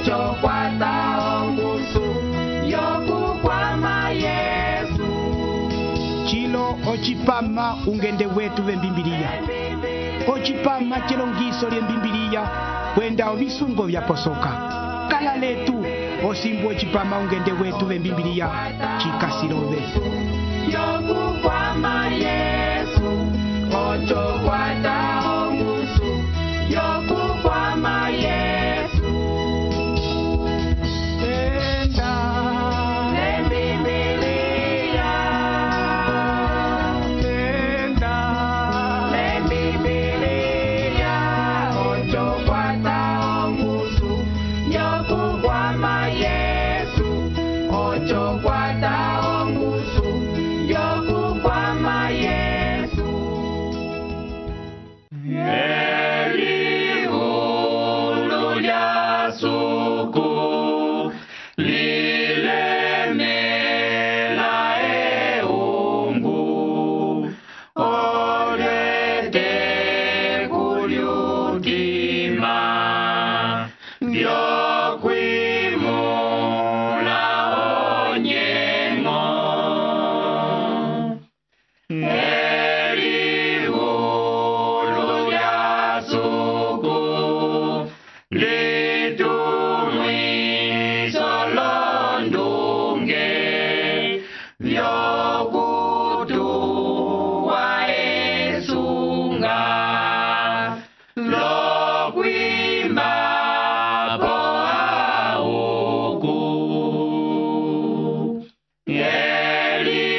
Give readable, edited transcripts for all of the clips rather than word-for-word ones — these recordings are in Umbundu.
ocho kwata ongusu yokukwama Yesu. Chilo ochipama ungende wetu vembimbiliya. Ochipama chilongiso lyembimbiliya kwenda ovisungo vyaposoka. Kala letu osimbu ochipama ungende wetu vembimbiliya chikasilove. Yokukwama Yesu, ocho kwata ongusu yokukwama Yesu. Tenda Lembibiliya, tenda lembibiliya, ocho kwata ongusu yokukwama Yesu, ocho kwata ongusu yokukwama Yesu. Elihulu lya suku lilemela eungu olete kulyutima vyokwimula onyengo. Elihulu lya suku litumwiso londunge vyokutuwa esunga lokwimba po auku. Elihulu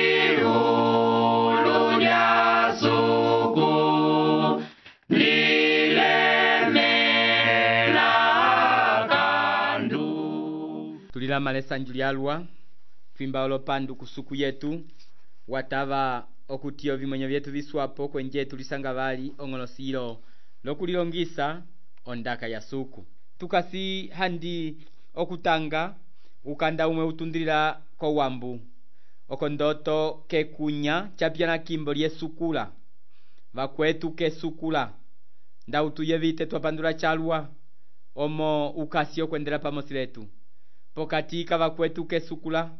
lya suku lilemela kandu. Tulilama lesanju lyalwa twimba olopandu kusuku yetu watava okutiyo vimwenyo vyetu viswapo kwenje tulisanga vali ong'olosilo lokulilongisa ondaka ya suku. Tukasi handi okutanga ukanda umwe utundilila ko wambu okondoto kekunya chapyana kimbo lyesukula vakwetu kesukula ndautuye vite twapandula chalwa omo ukasi okwendela pamosi letu pokatika vakwetu kesukula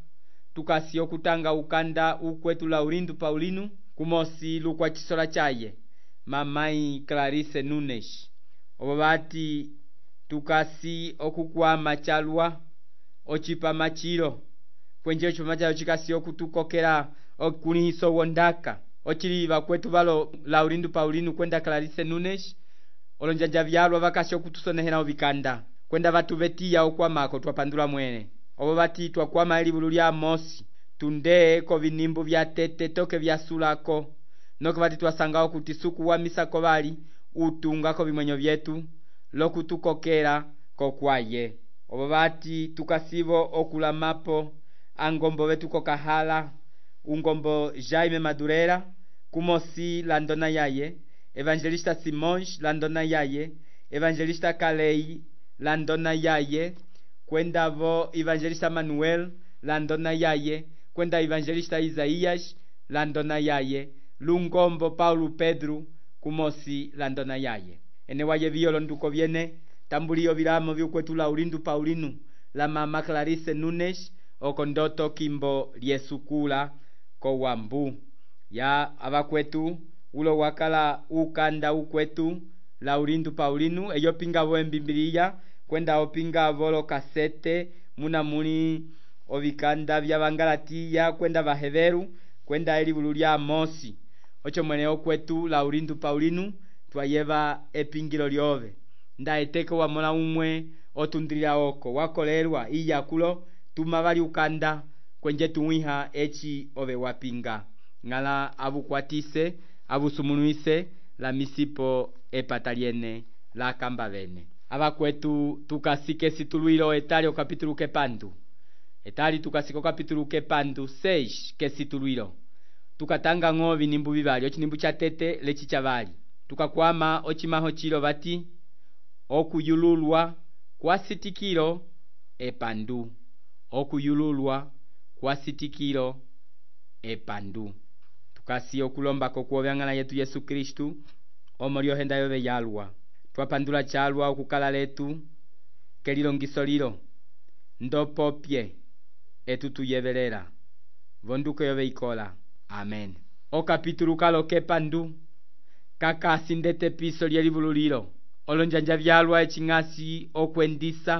tukasi okutanga ukanda ukwetu Laurindu Paulino kumosi lukwa chisola chaye mamai Clarice Nunes. Obo bati tukasi okukwama chalwa ochipa machilo kwenje ochipama chalo chikasi okutukokela okunihiso wondaka ochili vakwetu valo Laurindu Paulino kwenda Clarice Nunes olonjanja vyalwa vakasi okutusonehela ovikanda kwenda vatu vetiya okwamako twapandula mwene. Obo bati twakwama elibulu lya mosi tunde ko vinimbu vya tete toke vya sulako noko bati twasanga okuti suku wa misako bali utunga ko bimwenyo vyetu lokutukokela kokwaye. Obo bati tukasibo okulamapo angombo betu kokahala ungombo Jaime Madurera kumosi landona yaye Evangelista Simons landona yaye Evangelista Kalei landona yaye kwenda vo Evangelista Manuel landona yaye kwenda Evangelista Isaías landona yaye lungombo Paulo Pedro kumosi landona yaye. Ene waye violo nduko viene tambulio vilamo vyukwetu Laurindu Paulino la mama Clarice Nunes okondoto kimbo lyesukula ko wambu ya abakwetu ulo wakala ukanda ukwetu Laurindu Paulino eyo pinga wembimbiliya kwenda opinga volo kasete muna muli ovikanda vya Bangalatiya kwenda Baheveru kwenda elibulu lya mosi ocho mwene okwetu Laurindu Paulino twayeva epingilo lyove ndaeteke wamola umwe otundilila oko wakolerwa iyakulo tumavali ukanda kwenje tuwiha echi ove wapinga ngala abukwatise abusumunuise la misipo epataliene la kamba bene. Abakwetu tukasike situluilo etalio kapitulu kepandu etali tukasiko kapitulu kepandu 6 kesituluilo tukatanga ngovi nimbu bibali ochinimbu cha tete lechi chavali tukakwama ochimaho chilo bati okuyululwa kwa sitikilo epandu okuyululwa kwa sitikilo epandu tukasi okulomba kokuobyangana yetu Yesu Kristu omolio henda yobe yalwa twapandula chalwa okukala letu kelilongiso lilo ndopopye etutuyevelela vonduko yoveikola. Amen. Okapitulu kalo kepandu kakasi ndete piso lyelivululilo olonjanja vyalwa eching'asi okwendisa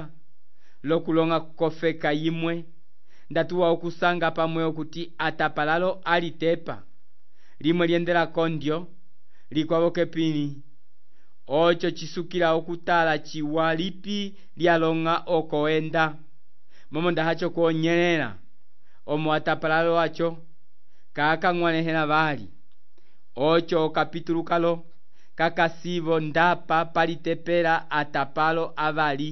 lokulonga kukofeka yimwe ndatuwa okusanga pamwe okuti atapalalo alitepa limwe liendela kondyo likwavo kepini ocho chisukila okutala chiwa lipi lyalonga okoenda momo ndahacho kuonyelela omo atapalalo wacho kakang'wanehela vali ocho okapitulu kalo kakasivo ndapa palitepela atapalo avali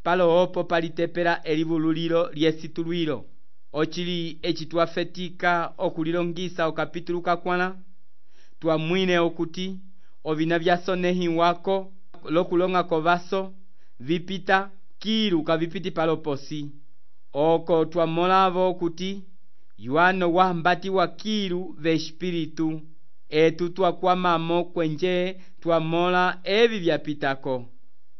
palo opo palitepela elivululilo lyesitulwilo ochili eci twafetika okulilongisa okapitulu kakwana twamwine okuti ovina vyasonehiwako lokulonga kovaso vipita kilu kavipiti paloposi oko twamolavo okuti yuano wahambatiwa kilu vespiritu etu twakwamamo kwenje twamola evi vyapitako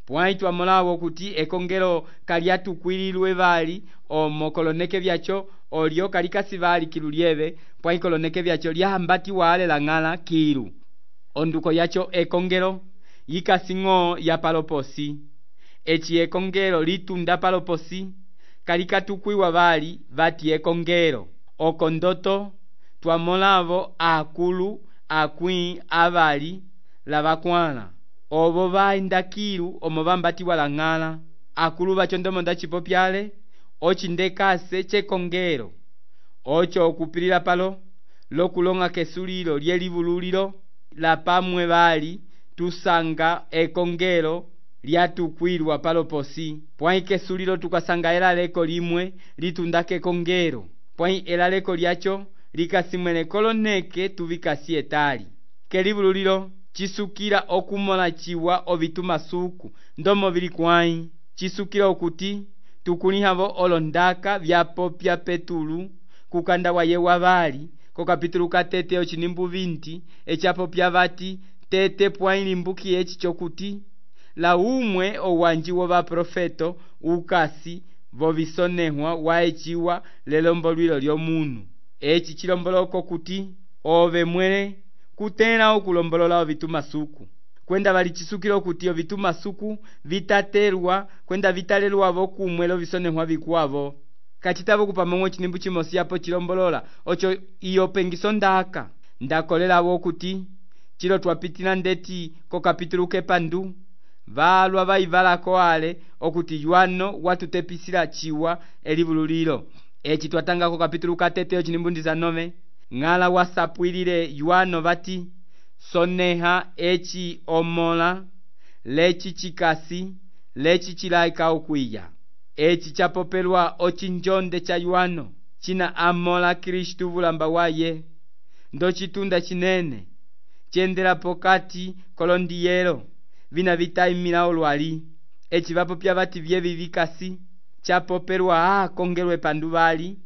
pwai twamolavo kuti ekongelo kalyatukwililwe vali omo koloneke vyacho olyo kalikasi vali kilu lyeve pwai koloneke vyacho lyahambatiwa ale lang'ala kilu onduko yacho ekongelo yikasing'o ya paloposi eci ekongelo litunda paloposi kalikatukwiwa vali vati ekongelo oko ndoto twamolavo akulu akwĩ avali lavakwana ovo vaenda kilu omo vambatiwa lang'ala akulu vacho ndomo ndacipopyale ocindekase chekongelo ocho okupilila palo lokulonga kesulilo lyelivululilo lapamwe vali tusanga ekongelo lyatukwilwa paloposi pwai kesulilo tukasanga elaleko limwe litunda kekongelo pwai elaleko lyacho likasimwene koloneke tuvikasi etali kelivululilo chisukila okumola chiwa ovitumasuku ndomo vili kwai chisukila okuti tukulihavo olondaka vyapopya petulu kukanda waye wavali kokapitulu katete ochinimbu 20 echapopya vati tete pwai limbuki eci chokuti la umwe owanji wovaprofeto ukasi vovisonehwa waeciwa lelombolwilo lyomunu eci chilomboloko kuti ove mwele kutela okulombolola ovitumasuku kwenda vali chisukilo kuti ovitumasuku vitatelwa kwenda vitalelwavo kumwe lovisonehwa vikuavo kacitavo kupamong'o cinimbu cimosi yapo chilombolola ocho iyo pengiso ndaka ndakolelavo kuti chilo twapitila ndeti kokapitulu kepandu valwa vaivalako ale okuti yuano watutepisila chiwa elivululilo eci twatanga kokapitulu katete ochinimbu 19 ng'ala wasapwilile yuano vati soneha eci omola leci chikasi leci chilaika okwiya eci chapopelwa ochinjonde cha yuano china amola Kristu vulamba waye ndo chitunda chinene chendela pokati kolondiyelo vina vitaimila olwali eci vapopya vati vyevi vikasi chapopelwa kongelwe pandu vali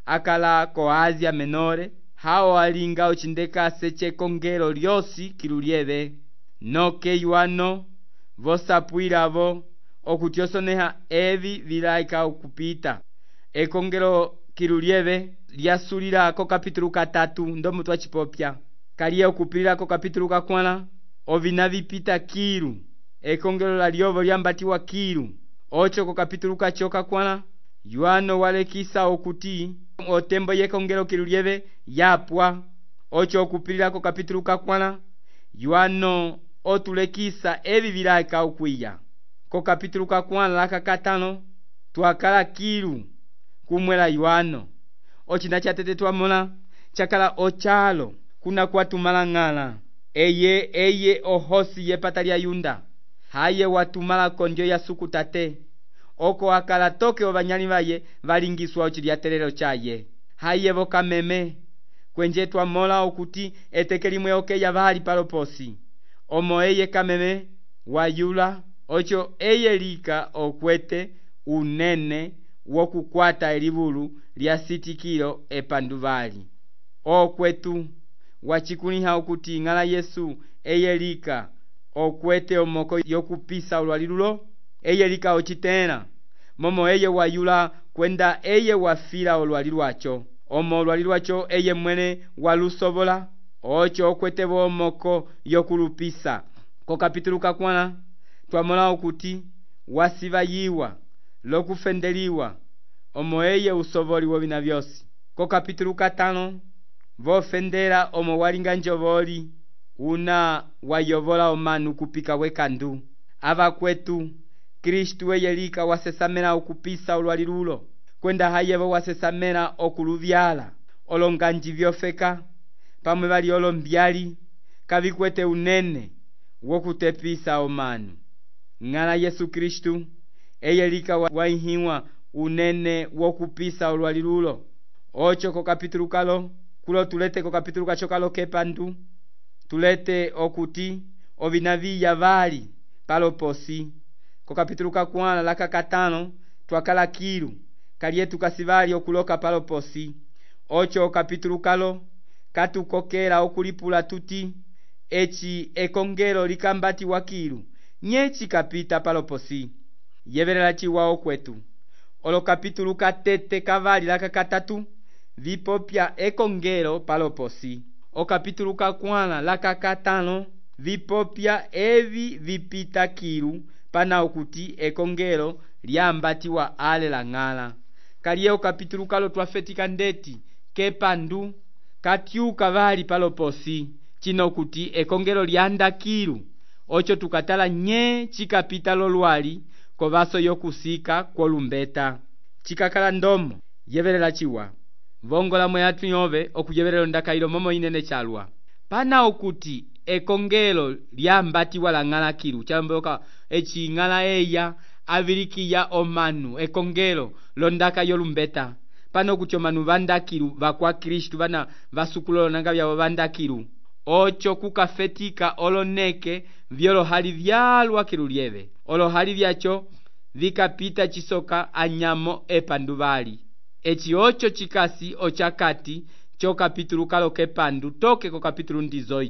akala ko Asia Menore hao alinga ocindekase chekongelo lyosi kilu lyeve noke yuano vosapwilavo okuti osoneha evi vilaika okupita ekongelo kilu lyeve lyasulila kokapitulu 3 ndomo twachipopya kaliye okupilila kokapitulu kakwana ovina vipita kilu ekongelo lalyovo lyambatiwa kilu ocho kokapitulu kacho kakwana yuano walekisa okuti otembo yekongelo kilu lyeve yapwa ocho okupilila kokapitulu kakwana yuano otulekisa evi vilaika okwiya kokapitulu kakwana lakakatano twakala kilu kumwela yuano ochina chatete twamola chakala ochalo kuna kwatumala ng'ala eye ohosi yepata lya yunda haye watumala kondyo ya sukutate oko akala toke ovanyali vaye valingiswa ochilyaterero chaye haye vokameme kwenje twamola okuti eteke limwe okeya vali paloposi omo eye kameme wayula ocho eye lika okwete unene wokukwata elivulu lya sitikilo epandu vali okwetu wachikuliha okuti ng'ala Yesu eye lika okwete omoko yokupisa olwali lulo eye lika ocitẽla momo eye wayula kwenda eye wafila olwali lwaco omo olwali lwaco eye mwene walusovola oco okwete bomoko yokulupisa. Ko kapitulu kakwana twamona okuti wasivayiwa lokufendeliwa omo eye usovoli wovina vyosi. Ko kapitulu katano vofendela omo walinga njovoli una wayovola omanu kupika wekandu ava kwetu Kristu eye lika wasesamela okupisa olwali lulo kwenda hayevo wasesamela okuluvyala olonganji vyofeka pamwe bali olombyali kavikwete unene wokutepisa omanu. Ng'ala Yesu Kristu eye lika waihiwa unene wokupisa olwali lulo oco ko kapitulu kalo kulo tulete ko kapitulu kaco kalo kepandu tulete okuti ovina viya vali paloposi. Ko kapitulu kakwala laka katano twakala kilu kalietu kasivali okuloka paloposi oco kapitulu kalo katukokela okulipula tuti eci ekongelo likambati wakilu nyechi kapita paloposi yevelela ciwa okwetu. Olo kapitulu katete kavali laka katatu vipopya ekongelo paloposi. O kapitulu kakwala laka katano vipopya evi vipita kilu pana okuti ekongelo lyambatiwa ale la ng'ala. Kaliye o kapitulu kalo twafetika ndeti kepandu katyuka vali paloposi cino kuti ekongelo lyanda kilu oco tukatala nye cikapita lolwali ko vaso yokusika kwolumbeta cikakala ndomo yevelela ciwa vongola mweyatu yove okuyevelela ndakailo momo inene calwa pana okuti ekongelo lyambatiwa la ng'ala kilu camboka eci ng'ala eya avilikiya omanu ekongelo londaka yolumbeta pana okuti omanu vandakilu vakwa Kristu vana vasukulolo nanga vyavo vandakilu oco kukafetika oloneke vyolohali vyalwa kilu lyeve olohali vyaco vikapita cisoka anyamo epandu vali eci oco cikasi ocakati co kapitulu kalo kepandu toke ko kapitulu 18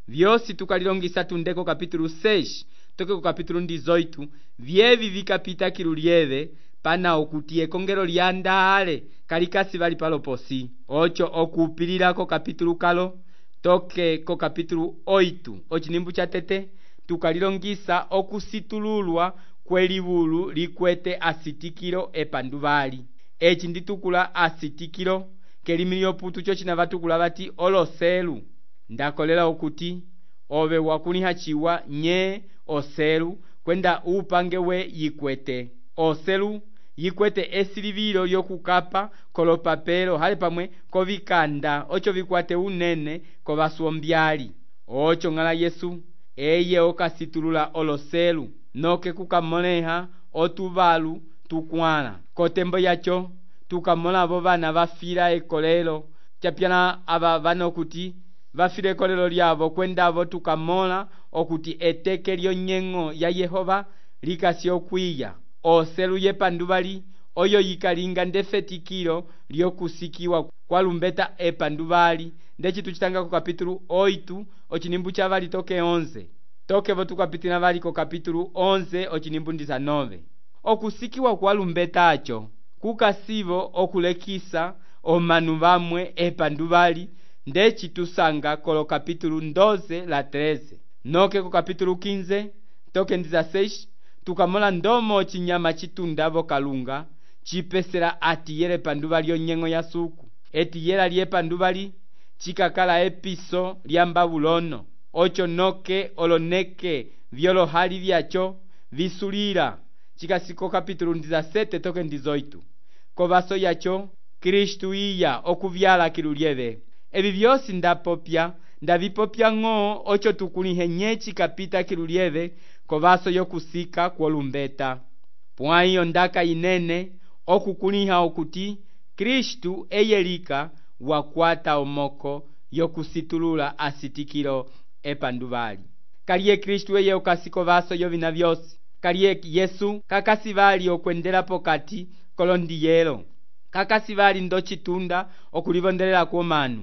vyosi tukalilongisa tunde ko kapitulu 6 toke ko kapitulu 18 vyevi vikapita kilu lyeve pana okuti ekongelo lyandale kalikasi vali paloposi oco okupilila ko kapitulu kalo toke ko kapitulu 8 ocinimbu ca tete tukalilongisa okusitululwa kwelivulu likwete asitikilo epandu vali eci nditukula asitikilo kelimi lyoputu co cina vatukula vati oloselu ndakolela okuti ove wakuliha ciwa nye oselu kwenda upange we yikwete oselu yikwete esilivilo lyokukapa kolopapelo hali pamwe kovikanda oco vikwate unene kovaswombyali oco ng'ala Yesu eye okasitulula oloselu noke kukamoleha otuvalu tukwala kotembo yaco tukamolavo vana vafila ekolelo capyana ava vana okuti vafila ekolelo lyavo kwendavo tukamola okuti eteke lyonyeng'o ya Yehova likasi okwiya oselu yepandu vali oyo yikalinga ndefetikilo lyokusikiwa kwalumbeta epandu vali ndeci tucitanga ko kapitulu 8 ocinimbu ca vali toke 11 tokevo tukapitila vali ko kapitulu 11 ocinimbu 19 okusikiwa kwalumbeta aco kukasivo okulekisa omanu vamwe epandu vali ndeci tusanga kolo kapitulu 12 la 13 noke ko kapitulu 15 toke 16 tukamola ndomo cinyama citundavo kalunga cipesela atiyele epandu vali onyeng'o ya suku etiyela lyepandu vali cikakala episo lya Babulono oco noke oloneke vyolohali vyaco visulila cikasiko kapitulu 17 toke 18 kovaso yaco Kristu iya okuvyala kilu lyeve evi vyosi ndavipopya ng'o oco tukulihe nye cikapita kilu lyeve kovaso yokusika kwolumbeta pwaiyo ndaka inene okukuliha okuti Kristu eye lika wakwata omoko yokusitulula asitikilo epandu vali kaliye Kristu eye okasiko vaso yovina vyosi kaliye Yesu kakasi vali okwendela pokati kolondiyelo kakasi vali ndo citunda okulivondelela kwomanu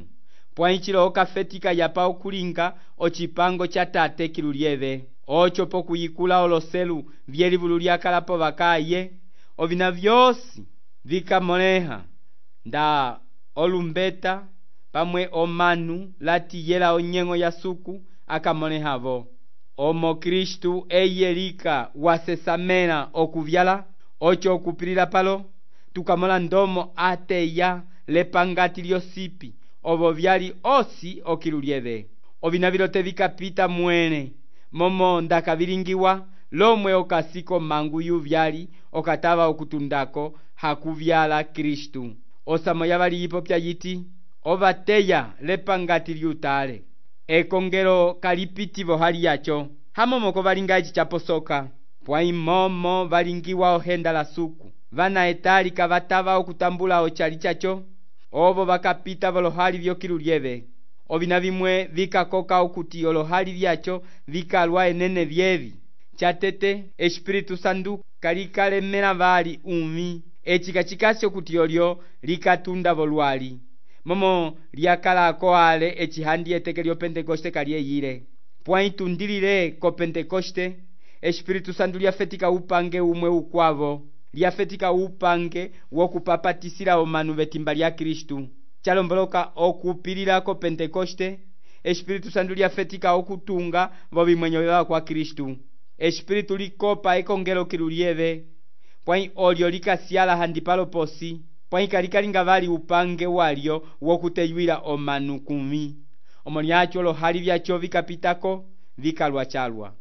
pwaicilo okafetika yapa okulinga ocipango ca tate kilu lyeve ocho pokuyikula oloselu vyelivulu lyakalapo vakaye ovina vyosi vikamoleha nda olumbeta pamwe omanu latiyela onyengo ya suku akamolehavo. Omo Kristu eyelika wasesamela okuvyala ocho okupilila palo tukamola ndomo ateya lepangati lyosipi ovo vyali osi okilulyeve. Ovina vilote vikapita mwene momo ndakavilingiwa lomwe okasiko mangu yuvyali okatava okutundako hakuvyala Kristu. Osamo yavali yipopya yiti ovateya lepangati lyutale ekongelo kalipitivo hali yacho hamomoko valinga eci chaposoka pwaimomo valingiwa ohenda la suku vana etali kavatava okutambula ochali chacho ovo vakapita volohali vyokilulyeve. Ovina vimwe vikakoka okuti olohali vyacho vikalwa enene vyevi chatete Espiritu Santu kalikalemela vali umi eci kachikasi okuti olyo likatunda volwali momo lyakalako ale ecihandi eteke lyo Pentekoste kalyeyile pwaitundilile ko Pentekoste Espiritu Santu lyafetika upange umwe ukwavo lyafetika upange wokupapatisila omanu vetimba lya Kristu chalomboloka okupilila ko Pentekoste Espiritu Santu lyafetika okutunga vovimwenyo vyava kwa Kristu. Espiritu likopa ekongelo kilulyeve pwai olyo likasyala handi palo posi pwai kalikalinga vali upange walyo wokuteyuila omanu kumi omo lyacho olohali vyacho vikapitako vikalwa chalwa.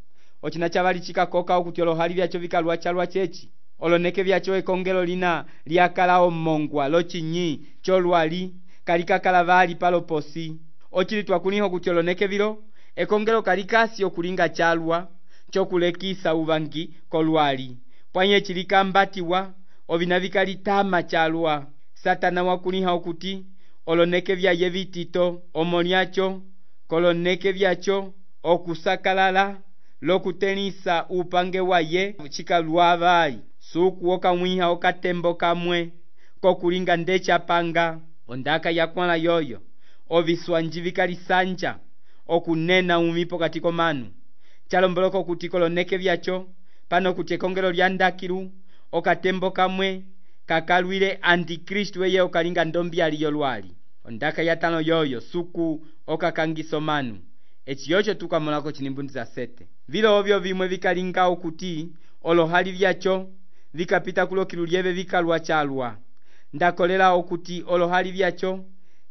Ochina chavali chikakoka okuti olohali vyacho vikalwa chalwa chechi oloneke vyacho ekongelo lina lyakala omongwa lochinyi cholwali kalikakala vali palo posi ochili twakuniho kuti oloneke vilo ekongelo kalikasi okulinga chalwa chokulekisa uvangi kolwali pwanye chilikambatiwa ovina vikalitama chalwa. Satana wakuniha okuti oloneke vyaye vitito omo lyacho koloneke vyacho okusakalala lokutenisa upange waye chikalwa vali suku okamwiha okatembo kamwe kokulinga ndechapanga ondaka yakwala yoyo oviswanji vikalisanja okunena umi pokati komanu chalomboloko okuti koloneke vyacho pano kuti ekongelo lya ndakilu okatembo kamwe kakalwile antikristu eye okalinga ndombyali yolwali ondaka yatano yoyo suku okakangisa omanu eci yocho tukamolako chinimbundiza 7 vilo ovyo vimwe vikalinga okuti olohali vyacho vikapita kulokilulyeve vikalwa chalwa ndakolela okuti olohali vyacho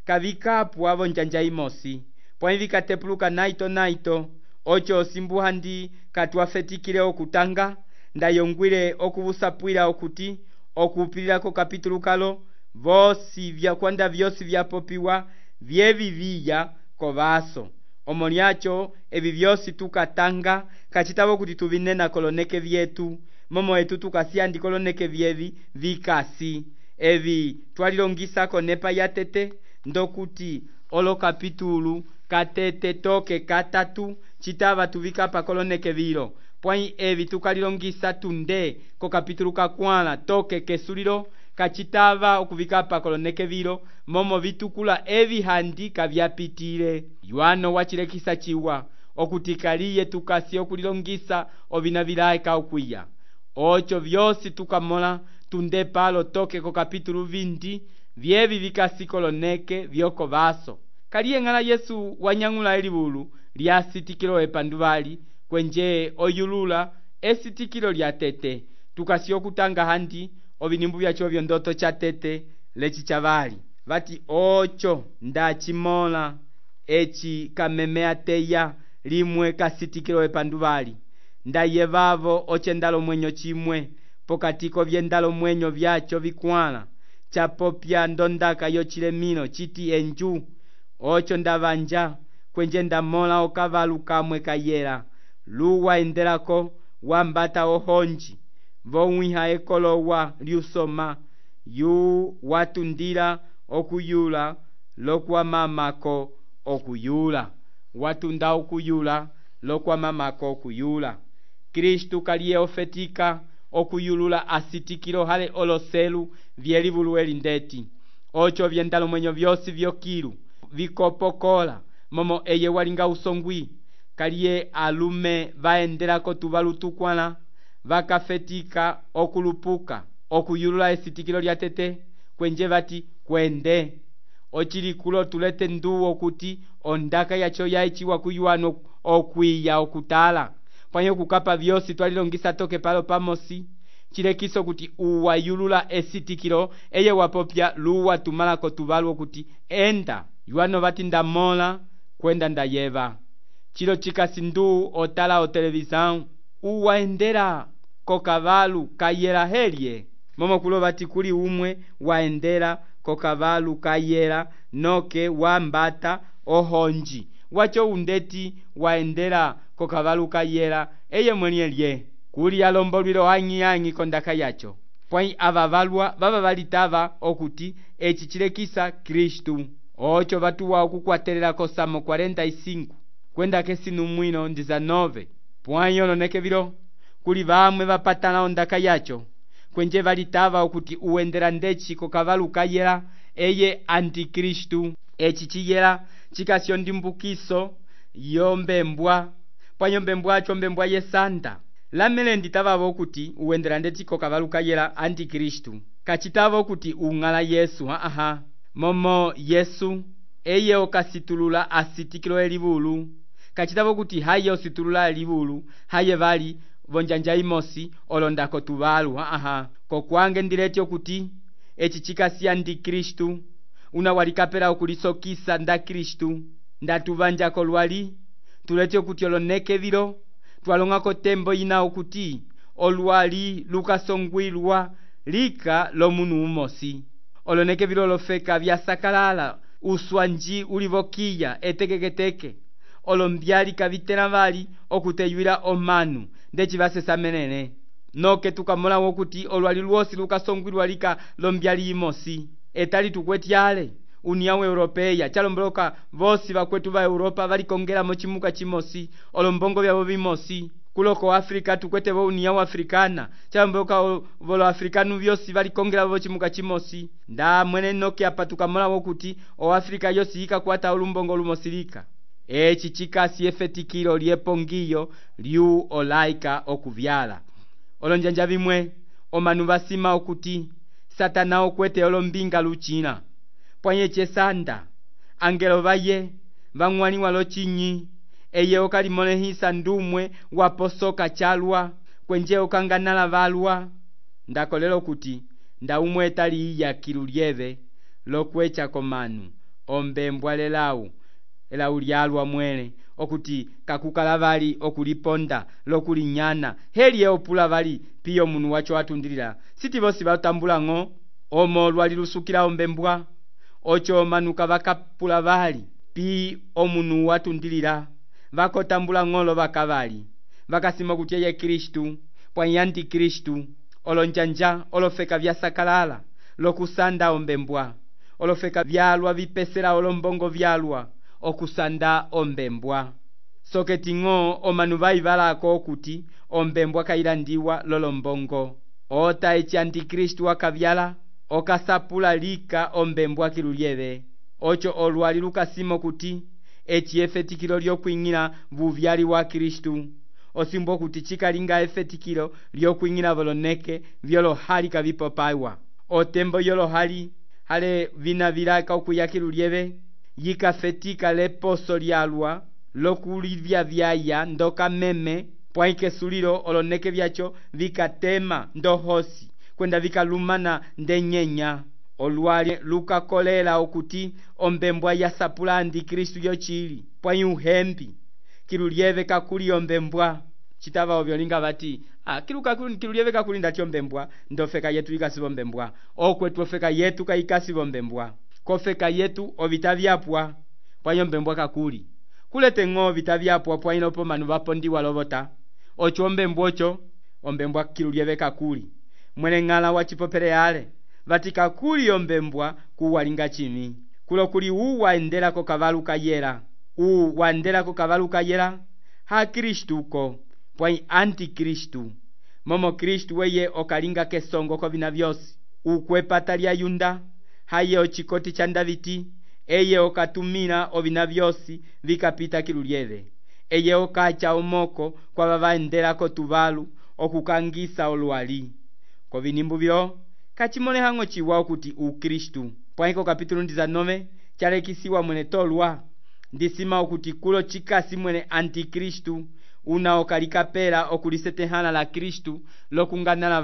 kavikapwa vonjanja imosi pwai vikatepuluka naito ocho osimbuhandi katwafetikile okutanga ndayongwile okuvusapwila okuti okupililako kapitulu kalo vosi vyakwanda vyosi vyapopiwa vyeviviya kovaso omo lyacho evi vyosi tukatanga kachitavo kuti tuvinena koloneke vyetu momo etu tukasiyandi koloneke vyevi vikasi evi twalilongisako nepa yatete ndokuti olo kapitulu katete toke katatu chitava tuvikapa koloneke vilo pwai evi tukalilongisa tunde ko kapitulu kakwala toke kesulilo kachitava okuvikapa koloneke vilo momo vitukula evi handi kavyapitile Yohano wachilekisa chiwa okuti kaliye tukasi okulilongisa ovina vilaye kaukwiya ocho vyosi tukamola tunde palo toke ko kapitulu 20 vyevi vikasi koloneke vyoko vaso kaliye ngala Yesu wanyangula elivulu lya sitikilo epanduvali kwenje oyulula esitikilo lya tete tukasi okutanga handi ovinimbu vyacho vyondoto cha tete lechi chavali vati ocho ndachimola echi kamemea teya limwe kasitikilo epanduvali ndayevavo ochendalo mwenyo chimwe pokatiko vyendalo mwenyo vyacho vikwala chapopya ndondaka yochilemino chiti enju ocho ndavanja kwenje ndamola okavalu kamwe kayela luwa endelako wambata ohonji vomwiha ekolowa lyusoma yu watundila okuyula lokwamamako okuyula watunda okuyula lokwamamako okuyula Kristu kaliye ofetika okuyulula asitikilo hale oloselu vyelivulu elindeti ocho vyendalo mwenyo vyosi vyokilu vikopokola momo eye walinga usongwi kaliye alume vaendela kotuvalu tukwala vakafetika okulupuka okuyulula esitikilo lya tete kwenje vati kwende ocilikulo tulete nduwo okuti ondaka yacho yaiciwa kuyuwano okwiya okutala pwanye okukapa vyosi twalilongisa toke palo pamosi cilekiso kuti uwayulula esitikilo eye wapopya luwa tumala kotuvalu okuti enda yuwano vati ndamola kwenda ndayeva cilo cikasi ndu otala o televisão uwaendela kokavalu kayela helye momokulo vati kuli umwe waendela kokavalu kayela noke wambata ohonji wacho undeti waendela kokavalu kayela eye mwenye lye kuli alombolwilo ang'i kondaka yacho pwai ava valwa vava valitava okuti eci cilekisa Kristu ocho vatuwa okukwatelela kosamo 45 kwenda kesinu mwino 19 pwai oloneke vilo kuli vamwe vapatala ondaka yacho kwenje valitava okuti uendela ndeci kokavalu kayela eye antikristu eci ciyela cikasyo ndimbukiso yombembwa pwanyo mbembwacho mbembwa yesanta lamele nditavavo okuti uendela ndeci kokavalu kayela antikristu kacitava okuti ung'ala Yesu momo Yesu eye okasitulula asitikilo elivulu kacitava okuti haye ositulula elivulu haye vali vonjanja imosi olondako tuvalu kokwange ndileti okuti eci cikasi antikristu una walikapela okulisokisa nda Kristu ndatuvanjako lwali tuleti okuti oloneke vilo twalongako tembo ina okuti olwali lukasongwilwa lika lomunu umosi oloneke vilo lofeka vyasakalala uswanji ulivokiya etekeketeke olombyali kavitela vali okuteywila omanu ndeci vasesamenene noke tukamola wokuti olwali lwosi lukasongwilwa lika lombyali imosi etali tukwetyale União Europeia chalomboloka vosi vakwetu va Europa valikongela mochimuka chimosi olombongo vyavo vimosi kuloko Afrika tukwete vo União Africana chalomboloka volo afrikanu vyosi valikongela vo chimuka chimosi nda mwene noke apa tukamola wokuti o Afrika yosi ikakwata olumbongo lumosilika eci cikasi efetikilo lyepongiyo liu olaika okuvyala olonjanja vimwe omanu vasima okuti Satana okwete olombinga lucina pwanye chesanda angelo vaye vang'waniwa lochinyi eye okalimolehisa ndumwe waposoka chalwa kwenje okanganala valwa ndakolelo kuti ndaumwe etali iya kilulyeve lokwecha komanu ombembwa lelau elau lyalwa mwele okuti kakukala vali okuliponda lokulinyana heli eopula vali piyo munu wacho atundilila siti vosi vatambula ng'o omo lwali lusukila ombembwa ocho manuka vakapula vali pi omunu watundilila vakotambula ng'olo vakavali vakasima kuti eye Kristu pwa antikristu olonjanja olofeka vyasakalala lokusanda ombembwa olofeka vyalwa vipesela olombongo vyalwa okusanda ombembwa soketi ng'o omanu vaivalako okuti ombembwa kailandiwa lolombongo ota eci antikristu akavyala okasapula lika ombembwa kilulyeve ocho olwali lukasimo kuti eci efetikilo lyokwing'ila vuvyali wa Kristu osimbo kuti cikalinga efetikilo lyokwing'ila voloneke vyolohali kavipopaiwa otembo yolohali hale vina vilaka okuya kilulyeve yikafetika leposo lyalwa lokulivya vyaya ndoka meme pwaikesulilo oloneke vyacho vikatema ndohosi kwenda vikalumana ndenyenya olwali lukakolela okuti ombembwa yasapula antikristu yochili pwai uhembi kilulyeve kakuli ombembwa citava ovyolinga vati kilulyeve kakuli ndati ombembwa ndofeka yetu ikasiva ombembwa okwetu ofeka yetu kaikasiva ombembwa kofeka yetu ovita vyapwa pwai ombembwa kakuli kulete ng'o ovita vyapwa pwai lopo manu vapondiwa lovota ocho ombembwa ocho ombembwa kilulyeve kakuli mwene ng'ala wachipopele yale vati kakuli ombembwa kuwalinga chimi kulo kuli uwaendela kokavalu kayela uwaendela kokavalu kayela ha Kristuko pwai antikristu momo Kristu weye okalinga kesongo kovina vyosi ukwepata lya yunda haye ochikoti cha Daviti eye okatumila ovina vyosi vikapita kilulyeve eye okacha omoko kwava vaendelako tuvalu okukangisa olwali kovinimbu vyo kachimolehang'o ciwa okuti ukristu pwaiko kapítulo 19 chalekisiwa mwene tolwa ndisima okuti kulo cikasi mwene antikristu una okalikapela okulisetehana la kristu lokunganala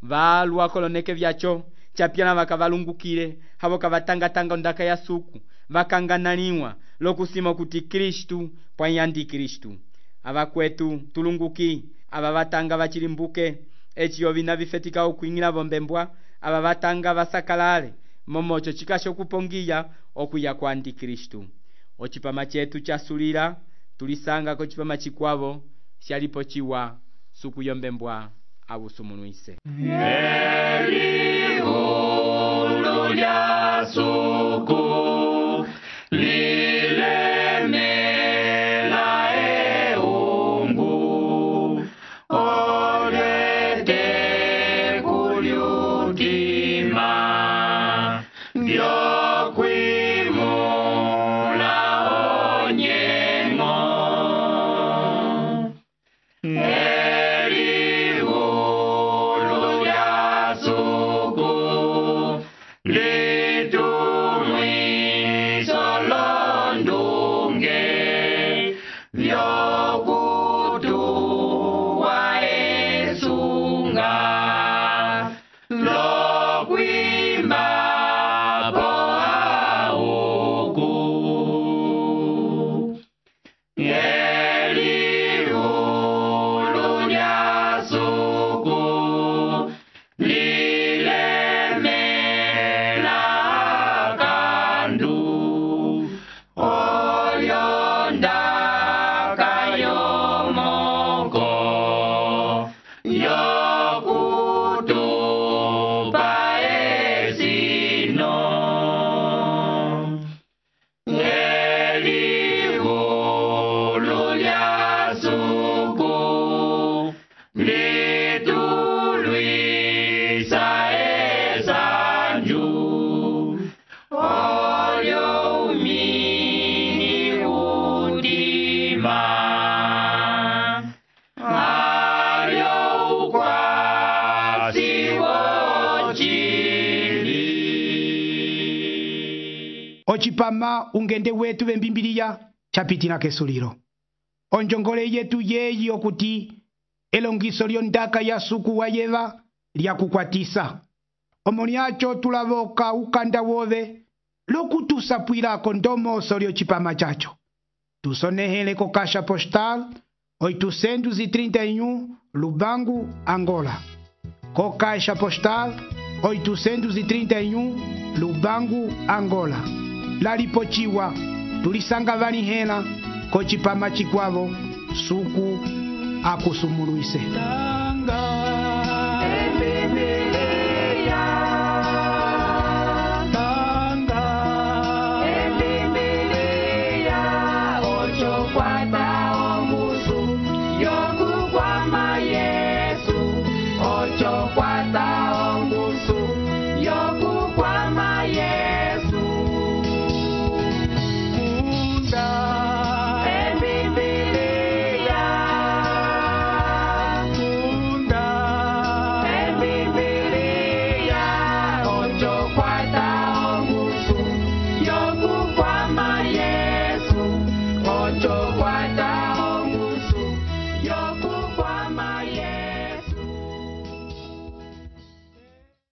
valwa koloneke vyaco capyana vakavalungukile havo kavatanga ondaka ya suku vakanganaliwa lokusima okuti kristu pwai antikristu avakwetu tulunguki ava vatanga vacilimbuke eci ovina vifetika okwing'ila vombembwa ava vatanga vasakalale momoco cikasha okupongiya okuya kwa antikristu ocipama cetu casulila tulisanga kocipama cikwavo shalipo ciwa suku yombembwa avusumulwise Elihulu lya suku lilemela eungu olete kulyutima vyokwimula onyengo Elihulu lya suku litumwiso londunge vyokutuwa esunga lokwimba po auku Elihulu lya suku lilemela kandu olyondaka yomoko yokutupa esino Elihulu lya suku litulwisa esanju olyo umini udima alyo ukwasi wocili ocipama ungende wetu vembimbiliya capitila kesulilo onjongole yetu yeyi okuti elongiso lyondaka ya suku wa yeva lyakukwatisa omo lyaco tulavoka ukanda wove lokutusapwilako ndomoso lyocipama caco tusonehele ko caixa postal 831 Lubangu, Angola. Co caixa postal 831 Lubangu, Angola. Lalipochiwa tulisanga vanihela ko cipama cikwavo suku akusumulwise. Ocho cuarta